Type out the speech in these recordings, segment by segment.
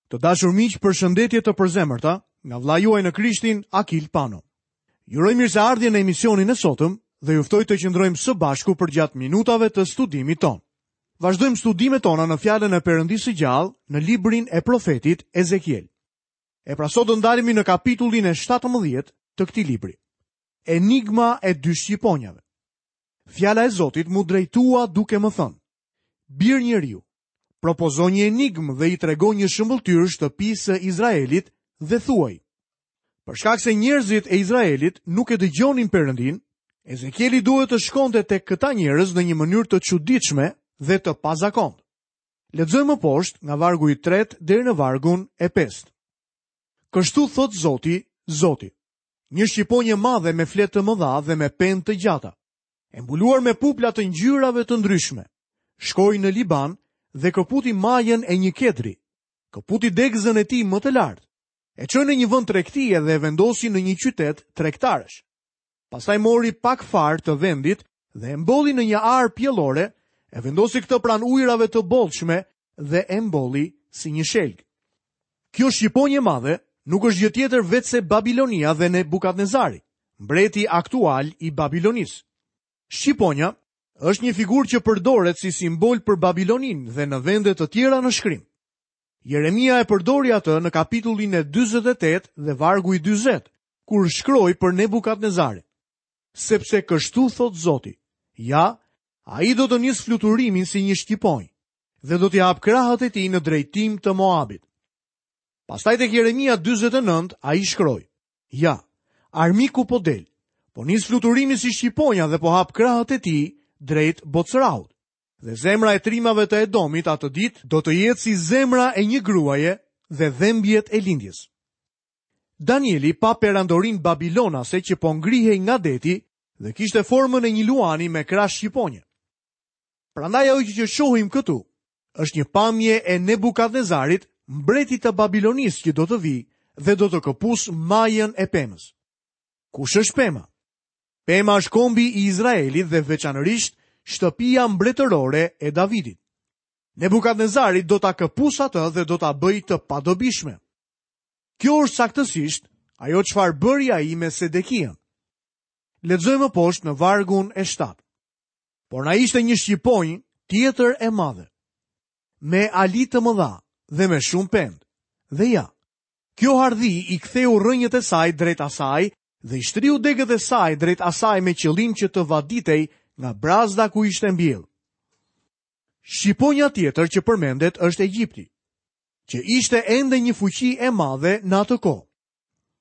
Të dashur miq, përshëndetje të përzemërta nga vëllai juaj në Krishtin, Akil Pano. Ju uroj mirëseardhje në emisionin e sotëm dhe ju ftoj të qëndrojmë së bashku përgjatë minutave të studimit tonë. Vazhdojmë studimet tona në fjalën e Perëndisë së gjallë në librin e profetit Ezekiel. E pra sot do ndalemi në kapitullin e 17 të këtij libri. Enigma e dy shqiponjave. Fjala e Zotit m'u drejtua duke më thënë: Bir njeriu, propozo një enigmë dhe i trego një shëmbëlltyrë shtëpisë së Izraelit dhe thuaj. Për shkak se njerëzit e Izraelit nuk e dëgjonin Perëndinë, Ezekieli duhet të shkonte tek këta njerëz në një mënyrë të çuditshme dhe të pazakontë. Lexojmë më poshtë nga vargu i tretë deri në vargun e pestë. Kështu thotë Zoti, Zoti. Një shqiponjë e madhe me fletë të mëdha dhe me pendë të gjata. e mbuluar me pupla të ngjyrave të ndryshme, shkoi në Liban dhe këputi majën e një kedri, këputi degëzën e tij më të lartë, e çoi në një vend tregtie dhe e vendosi në një qytet tregtarësh. Pastaj mori pak farë të vendit dhe e mbolli në një arë pjellore, e vendosi këtë pranë ujërave të bollshme dhe e mbolli si një shelg. Kjo shqiponjë e madhe nuk është gjë tjetër veçse Babilonia dhe Nebukadnezari, mbreti aktual i Babilonisë. Shqiponja është një figurë që përdoret si simbol për Babiloninë dhe në vende të tjera në shkrim. Jeremia e përdori atë në kapitullin e 48 dhe vargu i 40, kur shkroi për Nebukadnezarin. Sepse kështu thotë Zoti, ja, ai do të nisë fluturimin si një shqiponjë dhe do t'i hapë krahët e tij në drejtim të Moabit. Pastaj tek Jeremia 49 ai shkroi: Ja, armiku po del, po nis fluturimin si shqiponja dhe po hap krahët e tij drejt Bocrahut. Dhe zemra e trimave të Edomit atë ditë do të jetë si zemra e një gruaje dhe dhembjet e lindjes. Danieli pa perandorinë babilonase që po ngrihej nga deti dhe kishte formën e një luani me krahë shqiponje. Prandaj ajo që shohim këtu është një pamje e Nebukadnezarit, mbretit të Babilonisë që do të vijë dhe do të këpusë majën e pemës. Kush është pema? Pema është kombi i Izraelit dhe veçanërisht shtëpia mbretërore e Davidit. Nebukadnezari do ta këpusë atë dhe do ta bëjë të padobishme. Kjo është saktësisht ajo çfarë bëri ai me Sedekian. Lexojmë më poshtë në vargun e 7. Por na ishte një shqiponjë tjetër e madhe, me ali të mëdha dhe me shumë pendë. Dhe ja, kjo hardhi i ktheu rrënjët e saj drejt asaj dhe i shtriu degët e saj drejt asaj me qëllim që të vaditej nga brazda ku ishte mbjellë. Shqiponja tjetër që përmendet është Egjipti, që ishte ende një fuqi e madhe në atë kohë.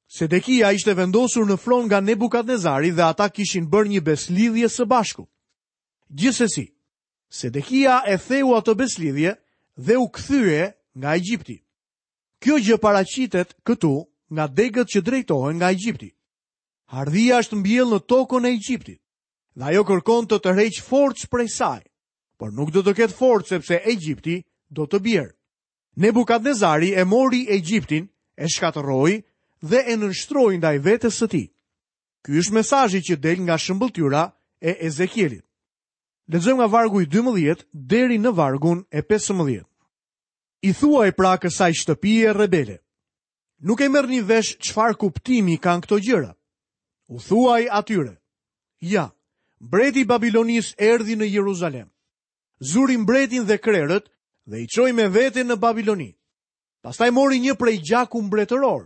Sedekia ishte vendosur në fron nga Nebukadnezari dhe ata kishin bërë një besëlidhje së bashku. Gjithsesi, Sedekia e theu atë besëlidhje dhe u kthye nga Egjipti. Kjo gjë paraqitet këtu nga degët që drejtohen nga Egjipti. Hardhia është mbjellë në tokën e Egjiptit dhe ajo kërkon të tërheqë forcë prej saj, por nuk do të ketë forcë sepse Egjipti do të bjerë. Nebukadnezari e mori Egjiptin, e shkatërroi dhe e nënshtroi ndaj vetes së tij. Ky është mesazhi që del nga shëmbëlltyra e Ezekielit. Lexojmë nga vargu i 12 deri në vargun e 15. I thuaj pra kësaj shtëpie rebele. Nuk e merrni vesh çfarë kuptimi kanë këto gjëra. U thuaj atyre. Ja, mbreti i Babilonisë erdhi në Jeruzalem. Zuri mbretin dhe krerët dhe i çoi me vete në Babiloni. Pastaj mori një prej gjaku mbretëror,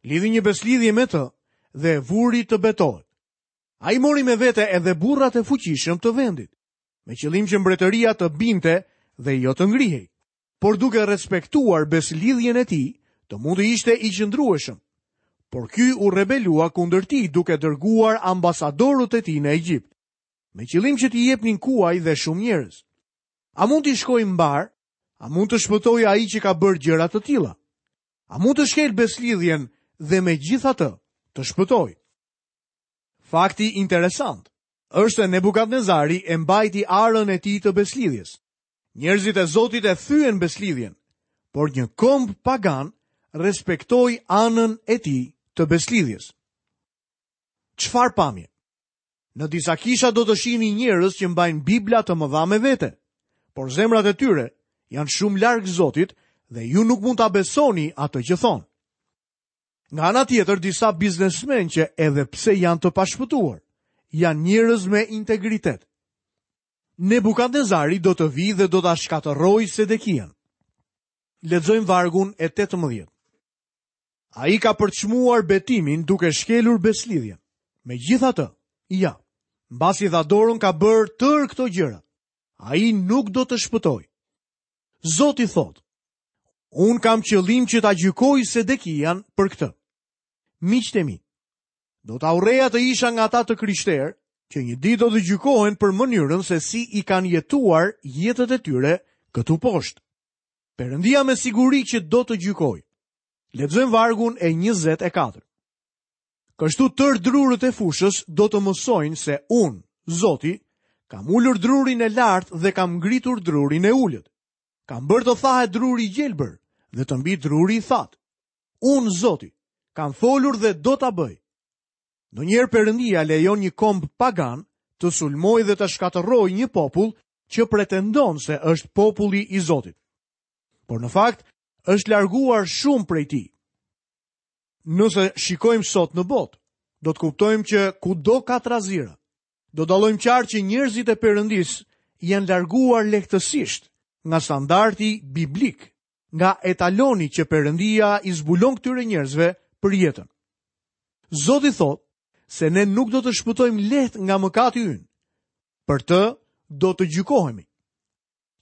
lidhi një besëlidhje me të dhe e vuri të betohet. Ai mori me vete edhe burrat e fuqishëm të vendit, me qëllim që mbretëria të binte dhe jo të ngrihej, por duke respektuar besëlidhjen e tij, të mund të ishte i qëndrueshëm. Por ky u rebelua kundër tij duke dërguar ambasadorët e tij në Egjipt. me qëllim që t'i jepnin kuaj dhe shumë njerëz. A mund t'i shkojë mbarë? A mund të shpëtojë ai që ka bërë gjëra të tilla? A mund të shkelë besëlidhjen dhe megjithatë të shpëtojë? Fakti interesant është se Nebukadnezari e mbajti arën e tij të besëlidhjes. Njerëzit e Zotit e thyen besëlidhjen, por një komb pagan respektoi anën e tij të besëlidhjes. Çfarë pamje? Në disa kisha do të shihni njerëz që mbajnë Bibla të mëdha me vete, por zemrat e tyre janë shumë larg Zotit dhe ju nuk mund ta besoni atë që thonë. Nga ana tjetër, disa biznesmenë që edhe pse janë të pashpëtuar, janë njerëz me integritet. Nebukadnezari do të vijë dhe do ta shkatërrojë Sedekian. Lexojmë vargun e 18. Ai ka përçmuar betimin duke shkelur besëlidhjen. Megjithatë, ja, mbasi dha dorën ka bërë tërë këto gjëra. Ai nuk do të shpëtojë. Zoti thotë, unë kam qëllim që ta gjykoj Sedekian për këtë. Miqtë e mi, do ta urreja të isha nga ata të krishterë që një ditë do të gjykohen për mënyrën se si i kanë jetuar jetët e tyre këtu poshtë. Perëndia me siguri që do të gjykojë. Lexojmë vargun e 24. Kështu tërë drurët e fushës do të mësojnë se unë, Zoti, kam ulur drurin e lartë dhe kam ngritur drurin e ulët. Kam bërë të thahet druri i gjelbër dhe të mbijë druri i thatë. Unë, Zoti, kam folur dhe do ta bëj. Ndonjëherë Perëndia lejon një komb pagan të sulmojë dhe të shkatërrojë një popull që pretendon se është populli i Zotit. Por në fakt, është larguar shumë prej tij. Nëse shikojmë sot në botë, do të kuptojmë që kudo ka trazira. Do dallojmë qartë që njerëzit e Perëndisë janë larguar lehtësisht nga standardi biblik, nga etaloni që Perëndia i zbulon këtyre njerëzve për jetën. Zoti thotë se ne nuk do të shpëtojmë lehtë nga mëkati ynë. Për të do të gjykohemi.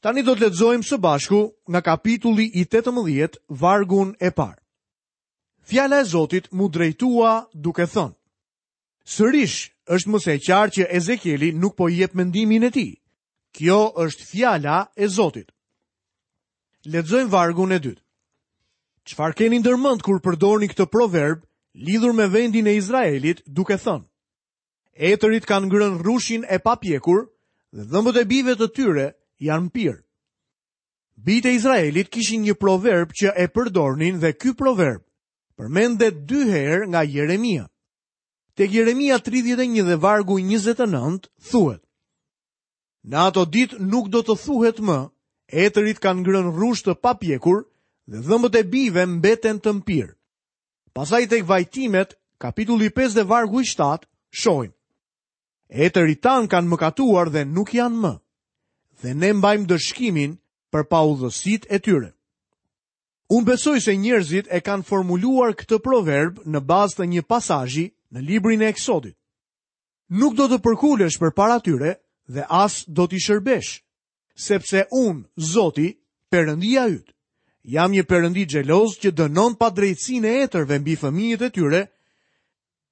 Tani do të lexojmë së bashku nga kapitulli i 18, vargun e parë. Fjala e Zotit m'u drejtua duke thënë: Sërish është më se e qartë që Ezekieli nuk po jep mendimin e tij. Kjo është fjala e Zotit. Lexojmë vargun e dytë. Çfarë keni ndërmend kur përdorni këtë proverb lidhur me vendin e Izraelit duke thënë: Etërit kanë ngrënë rrushin e papjekur dhe dhëmbët e bijve të tyre janë mpirë. Bijtë e Izraelit kishin një proverb që e përdornin dhe ky proverb përmendet dy herë nga Jeremia. Tek Jeremia 31 dhe vargu 29 thuhet: Në ato ditë nuk do të thuhet më, etërit kanë ngrënë rrush të papjekur dhe dhëmbët e bijve mbeten të mpirë. Pastaj tek Vajtimet, kapitulli 5 dhe vargu i 7, shohim. Etërit tanë kanë mëkatuar dhe nuk janë më, dhe ne mbajmë ndëshkimin për paudhësitë e tyre. Unë besoj se njerëzit e kanë formuluar këtë proverb në bazë të një pasazhi në librin e Eksodit. Nuk do të përkulesh përpara tyre dhe as do t'i shërbesh, sepse unë, Zoti, Perëndia yt, jam një Perëndi xheloz që dënon padrejtësinë e etërve mbi fëmijët e tyre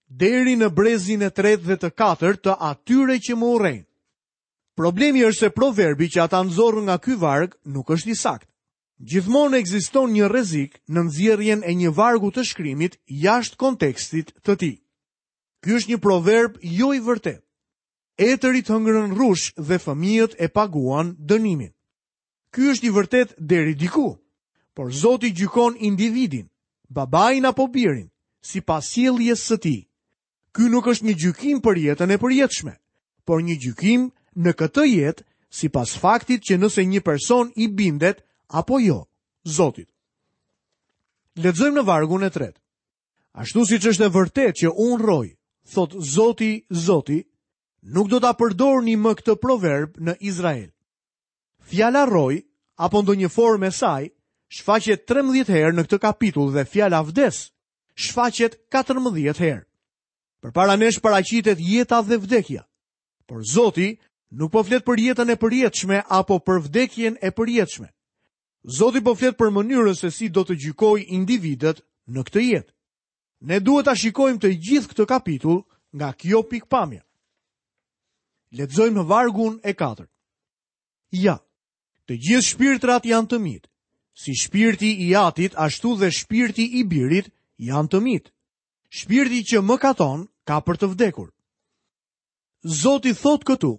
deri në brezin e tretë dhe të katërt të atyre që më urrejnë. Problemi është se proverbi që ata nxorën nga ky varg nuk është i saktë. Gjithmonë ekziston një rrezik në nxjerrjen e një vargu të shkrimit jashtë kontekstit të tij. Ky është një proverb jo i vërtetë. Etërit hëngrën rrush dhe fëmijët e paguan dënimin. Ky është i vërtetë deri diku, por Zoti gjykon individin, babain apo birin, sipas sjelljes së tij. Ky nuk është një gjykim për jetën e përjetshme, por një gjykim në këtë jetë sipas faktit që nëse një person i bindet apo jo Zotit. Lexojmë në vargun e tretë. Ashtu siç është e vërtetë që unë rroj, thotë Zoti, Zoti, nuk do ta përdorni më këtë proverb në Izrael. Fjala rroj, apo ndonjë formë e saj, shfaqet 13 herë në këtë kapitull dhe fjala vdes, shfaqet 14 herë. Përpara nesh paraqitet jeta dhe vdekja. Por Zoti nuk po flet për jetën e përjetshme apo për vdekjen e përjetshme. Zoti po flet për mënyrën se si do të gjykojë individët në këtë jetë. Ne duhet ta shikojmë të gjithë këtë kapitull nga kjo pikëpamje. Lexojmë në vargun e katërt. Ja, të gjithë shpirtrat janë të mitë, si shpirti i atit ashtu dhe shpirti i birit janë të mitë. Shpirti që mëkaton ka për të vdekur. Zoti thotë këtu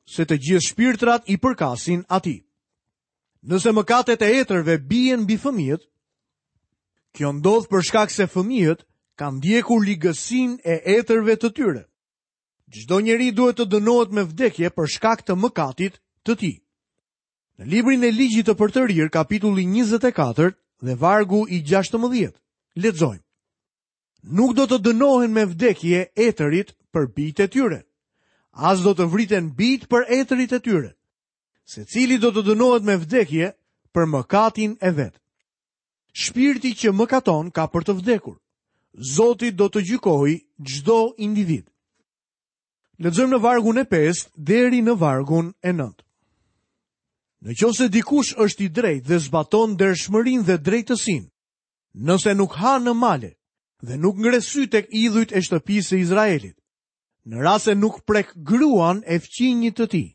se të gjithë shpirtrat i përkasin atij. Nëse mëkatet e etërve bien mbi fëmijët, kjo ndodh për shkak se fëmijët kanë ndjekur ligësinë e etërve të tyre. Çdo njeri duhet të dënohet me vdekje për shkak të mëkatit të tij. Në librin e Ligjit të Përtërirë, kapitulli 24 dhe vargu i 16, lexojmë. Nuk do të dënohen me vdekje etërit për bijtë e tyre, as do të vriten bijtë për etërit e tyre. Secili do të dënohet me vdekje për mëkatin e vet. Shpirti që mëkaton ka për të vdekur. Zoti do të gjykojë çdo individ. Lexojmë në vargun e 5 deri në vargun e 9. Në qoftë se dikush është i drejtë dhe zbaton ndershmërinë dhe drejtësinë, nëse nuk ha në male dhe nuk ngre sytë tek idhujt e shtëpisë së Izraelit, në rast se nuk prek gruan e fqinjit të tij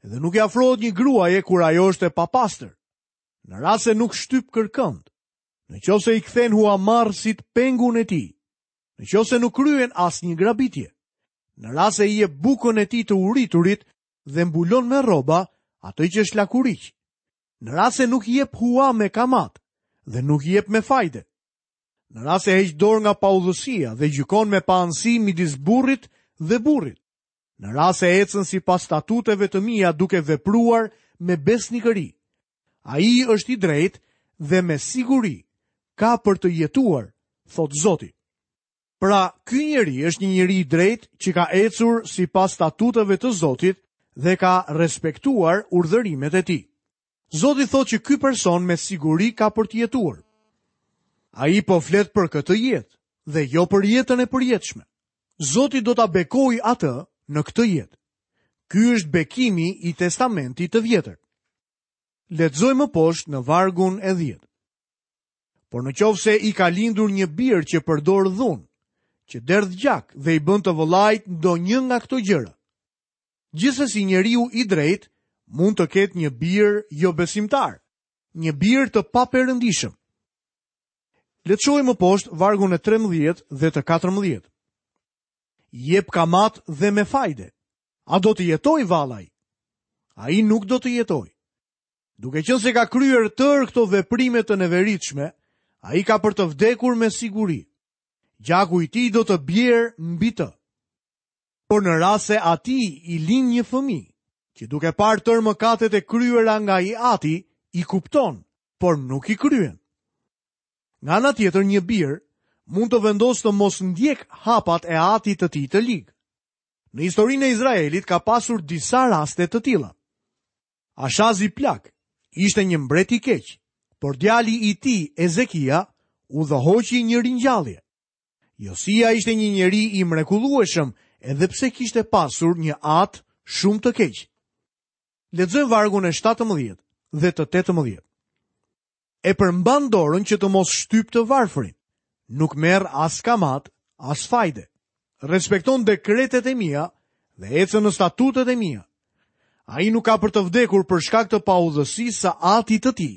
dhe nuk i afrohet një gruaje kur ajo është e papastër, në rast se nuk shtyp kërkënd, në qoftë se i kthen huamarrësit pengun e tij, në qoftë se nuk kryen asnjë grabitje, në rast se i jep bukën e tij të uriturit dhe mbulon me rroba atë që është lakuriq, në rast se nuk jep hua me kamatë dhe nuk jep me fajde, në rast se heq dorë nga paudhësia dhe gjykon me paanësi midis burrit dhe burrit, në rast se ecën sipas statuteve të mia duke vepruar me besnikëri, ai është i drejtë dhe me siguri ka për të jetuar, thotë Zoti. Pra, ky njeri është një njeri i drejtë që ka ecur sipas statuteve të Zotit dhe ka respektuar urdhërimet e tij. Zoti thotë që ky person me siguri ka për të jetuar. Ai po flet për këtë jetë dhe jo për jetën e përjetshme. Zoti do ta bekojë atë në këtë jetë. Ky është bekimi i Testamentit të Vjetër. Lexojmë më poshtë në vargun e 10. Por në qoftë se i ka lindur një bir që përdor dhunë, që derdh gjak dhe i bën të vëllait ndonjë nga këto gjëra. Gjithsesi njeriu i drejtë mund të ketë një bir jobesimtar, një bir të paperëndishëm. Le të shohim më poshtë vargun e 13 dhe të 14. Jep kamatë dhe me fajde. A do të jetojë vallë ai? Ai nuk do të jetojë. Duke qenë se ka kryer tërë këto veprime të neveritshme, ai ka për të vdekur me siguri. Gjaku i tij do të bjerë mbi të. Por në rast se atij i lind një fëmijë, që duke parë tërë mëkatet e kryera nga i ati, i kupton, por nuk i kryen. Nga ana tjetër, një bir mund të vendosë të mos ndjekë hapat e atit të tij të lig. Në historinë e Izraelit ka pasur disa raste të tilla. Ashazi plak ishte një mbret i keq, por djali i tij Ezekia udhëhoqi një ringjallje. Josia ishte një njeri i mrekullueshëm, edhe pse kishte pasur një atë shumë të keq. Lexojmë vargun e 17 dhe të 18. E përmban dorën që të mos shtypë të varfrin. Nuk merr as kamatë, as fajde. Respekton dekretet e mia dhe ecën në statutet e mia. Ai nuk ka për të vdekur për shkak të paudhësisë së atit të tij.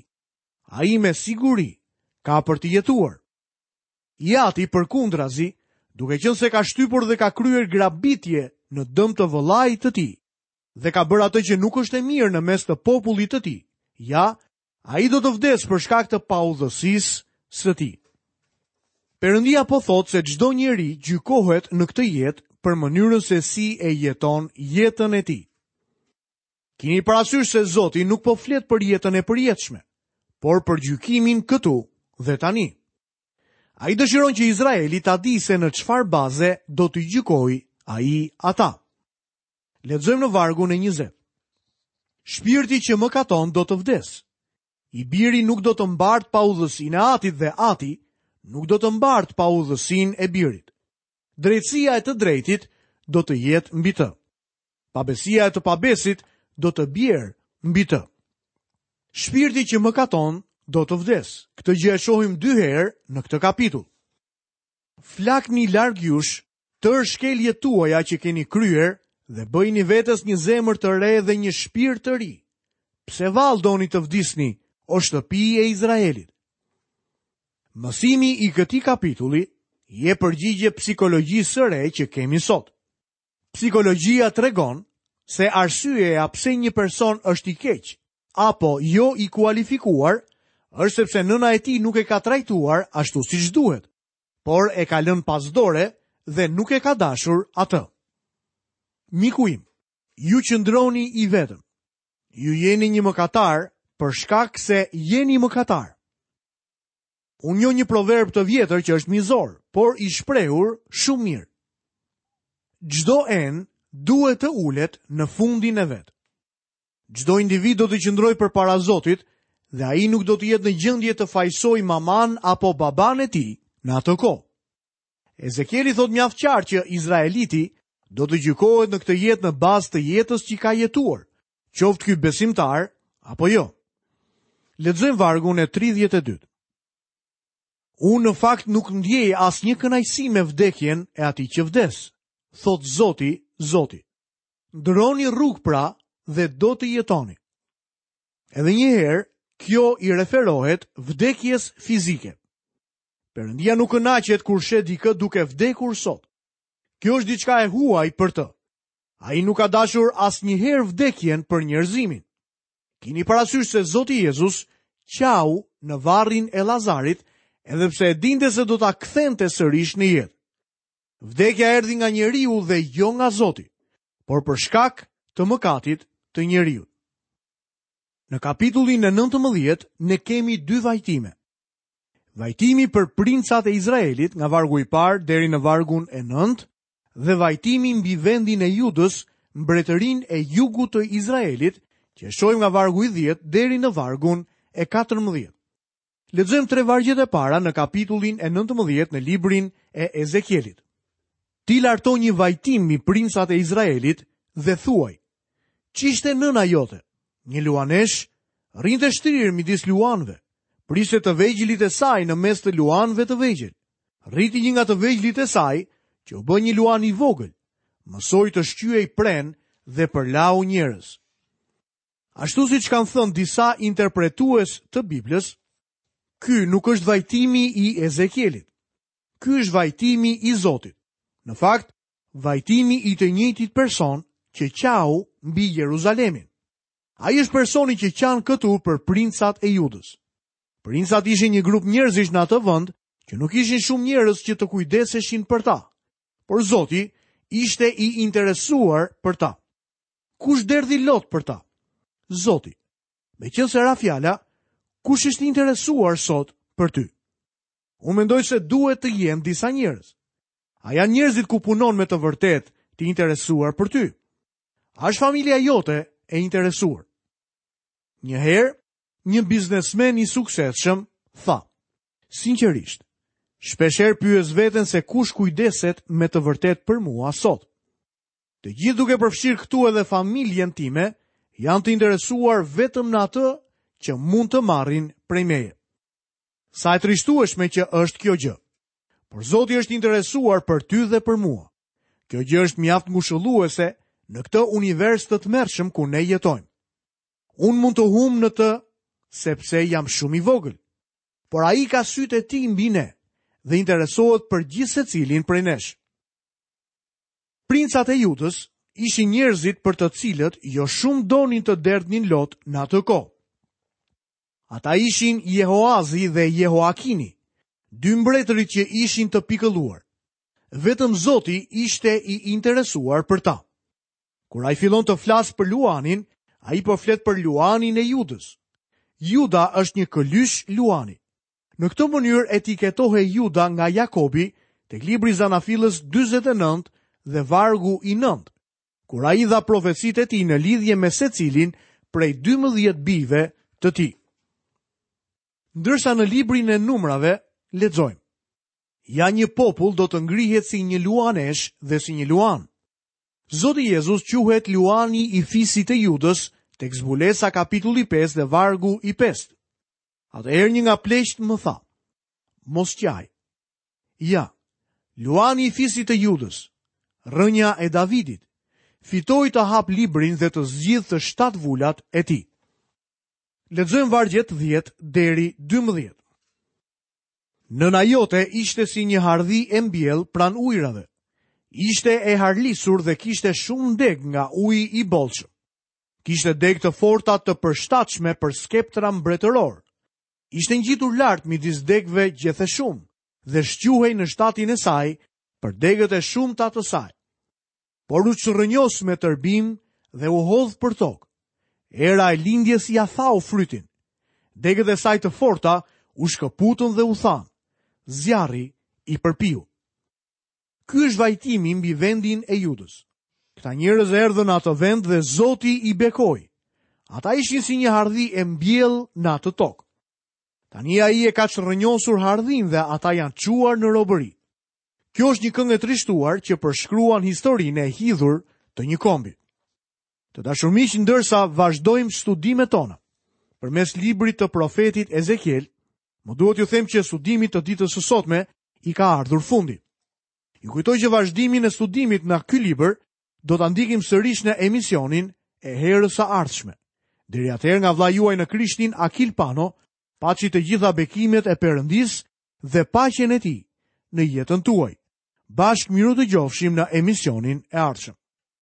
Ai me siguri ka për të jetuar. I ati përkundrazi, duke qenë se ka shtypur dhe ka kryer grabitje në dëm të vëllait të tij dhe ka bërë atë që nuk është e mirë në mes të popullit të tij. Ja, Ai do të vdesë për shkak të paudhësisë së tij. Perëndia po thotë se çdo njeri gjykohet në këtë jetë për mënyrën se si e jeton jetën e tij. Kini parasysh se Zoti nuk po flet për jetën e përjetshme, por për gjykimin këtu dhe tani. Ai dëshiron që Izraeli ta dijë se në çfarë baze do t'i gjykojë ai ata. Lexojmë në vargun e 20. Shpirti që mëkaton do të vdesë. I biri nuk do të mbartë paudhësinë e atit dhe ati nuk do të mbartë paudhësinë e birit. Drejtësia e të drejtit do të jetë mbi të. Pabesia e të pabesit do të bjerë mbi të. Shpirti që mëkaton do të vdesë. Këtë gjë e shohim dy herë në këtë kapitull. Flakni larg jush tërë shkeljet tuaja që keni kryer dhe bëjini vetes një zemër të re dhe një shpirt të ri. Pse vallë doni të vdisni, o shtëpi e Izraelit? Mësimi i këtij kapitulli i jep përgjigje psikologjisë së re që kemi sot. Psikologjia tregon se arsyeja pse një person është i keq apo jo i kualifikuar është sepse nëna e tij nuk e ka trajtuar ashtu siç duhet, por e ka lënë pas dore dhe nuk e ka dashur atë. Miku im, ju qëndroni i vetëm. Ju jeni një mëkatar për shkak se jeni mëkatar. Unë njoh një proverb të vjetër që është mizor, por i shprehur shumë mirë. Çdo enë duhet të ulet në fundin e vet. Çdo individ do të qëndrojë përpara Zotit dhe ai nuk do të jetë në gjendje të fajësojë mamanë apo babanë e tij në atë kohë. Ezekieli thotë mjaft qartë që izraeliti do të gjykohet në këtë jetë në bazë të jetës që ka jetuar, qoftë ky besimtar apo jo. Lexojmë vargun e 32. Unë në fakt nuk ndjej asnjë kënaqësi me vdekjen e atij që vdes, thotë Zoti, Zoti. Ndërroni rrugë pra dhe do të jetoni. Edhe një herë, kjo i referohet vdekjes fizike. Perëndia nuk kënaqet kur sheh dikë duke vdekur sot. Kjo është diçka e huaj për të. Ai nuk ka dashur asnjëherë vdekjen për njerëzimin. Kini parasysh se Zoti Jezus qau në varrin e Lazarit, edhe pse e dinte se do ta kthente sërish në jetë. Vdekja erdhi nga njeriu dhe jo nga Zoti, por për shkak të mëkatit të njeriut. Në kapitullin e 19 ne kemi dy vajtime. Vajtimi për princat e Izraelit nga vargu i parë deri në vargun e 9 dhe vajtimi mbi vendin e Judës, mbretërinë e jugut të Izraelit, që e shohim nga vargu i 10 deri në vargun e 14. Lexojmë tre vargjet e para në kapitullin e 19 në librin e Ezekielit. Ti larto një vajtim mbi princat e Izraelit dhe thuaj: Ç'ishte nëna jote? Një luaneshë rrinte shtrirë midis luanëve. Priste të vegjëlit e saj në mes të luanëve të vegjël. Rriti një nga të vegjëlit e saj, që u bë një luan i vogël. Mësoi të shqyejë prenë dhe përlau njerëz. Ashtu siç kanë thënë disa interpretues të Biblës, ky nuk është vajtimi i Ezekielit. Ky është vajtimi i Zotit. Në fakt, vajtimi i të njëjtit person që qau mbi Jeruzalemin. Ai është personi që qan këtu për princat e Judës. Princat ishin një grup njerëzish në atë vend që nuk ishin shumë njerëz që të kujdeseshin për ta. Por Zoti ishte i interesuar për ta. Kush derdhi lot për ta? Zoti. Meqenëse ra fjala, kush është i interesuar sot për ty? Unë mendoj se duhet të jenë disa njerëz. A janë njerëzit ku punon me të vërtetë të interesuar për ty? A është familja jote e interesuar? Një herë, një biznesmen i suksesshëm tha, sinqerisht, shpeshherë pyes veten se kush kujdeset me të vërtetë për mua sot. Të gjithë duke përfshirë këtu edhe familjen time, janë të interesuar vetëm në atë që mund të marrin prej meje. Sa e trishtueshme që është kjo gjë. Por Zoti është interesuar për ty dhe për mua. Kjo gjë është mjaft ngushëlluese në këtë univers të tmerrshëm ku ne jetojmë. Unë mund të humb në të sepse jam shumë i vogël. Por ai ka sytë e tij mbi ne dhe interesohet për gjithsecilin prej nesh. Princat e Judës ishin njerëzit për të cilët jo shumë donin të derdhnin lot në atë kohë. Ata ishin Jehoazi dhe Jehoakini, dy mbretërit që ishin të pikëlluar. Vetëm Zoti ishte i interesuar për ta. Kur ai fillon të flasë për luanin, ai po flet për luanin e Judës. Juda është një këlysh luani. Në këtë mënyrë etiketohej Juda nga Jakobi tek libri i Zanafillës 49 dhe vargu i 9, kur ai dha profecitë e tij në lidhje me secilin prej 12 bijve të tij. Ndërsa në librin e numrave lexojmë: Ja një popull do të ngrihet si një luaneshë dhe si një luan. Zoti Jezus quhet luani i fisit të Judës tek Zbulesa kapitulli 5 dhe vargu i 5. Atëherë një nga pleqtë më tha, mos qaj. Ja, luani i fisit të Judës, rrënja e Davidit, fitoi të hapë librin dhe të zgjidhë të shtatë vulat e tij. Lexojmë vargjet 10 deri 12. Nëna jote ishte si një hardhi e mbjellë pranë ujërave. Ishte e harlisur dhe kishte shumë degë nga uji i bollshëm. Kishte degë të forta të përshtatshme për skeptra mbretërorë. Ishte ngjitur lart midis degëve gjetheshumë dhe shquhej në shtatin e saj për degët e shumta të saj. Por u çrrënjos me tërbim dhe u hodh përtokë. Era e lindjes ia thau frytin. Degët e saj të forta u shkëputën dhe u thanë. Zjarri i përpiu. Ky është vajtimi mbi vendin e Judës. Këta njerëz erdhën në atë vend dhe Zoti i bekoi. Ata ishin si një hardhi e mbjellë në atë tokë. Tani ai e ka çrrënjosur hardhinë dhe ata janë çuar në robëri. Kjo është një këngë e trishtuar që përshkruan historinë e hidhur të një kombi. Të dashur miq, ndërsa vazhdojmë studimet tona përmes librit të profetit Ezekiel, më duhet t'ju them që studimit të ditës së sotme i ka ardhur fundi. Ju kujtoj që vazhdimin e studimit nga ky libër do ta ndjekim sërish në emisionin e herës së ardhshme. Deri atëherë nga vëllai juaj në Krishtin Akil Pano, paçi të gjitha bekimet e Perëndisë dhe paqen e tij në jetën tuaj. Bashkë mirudëgjofshim në emisionin e ardhshëm.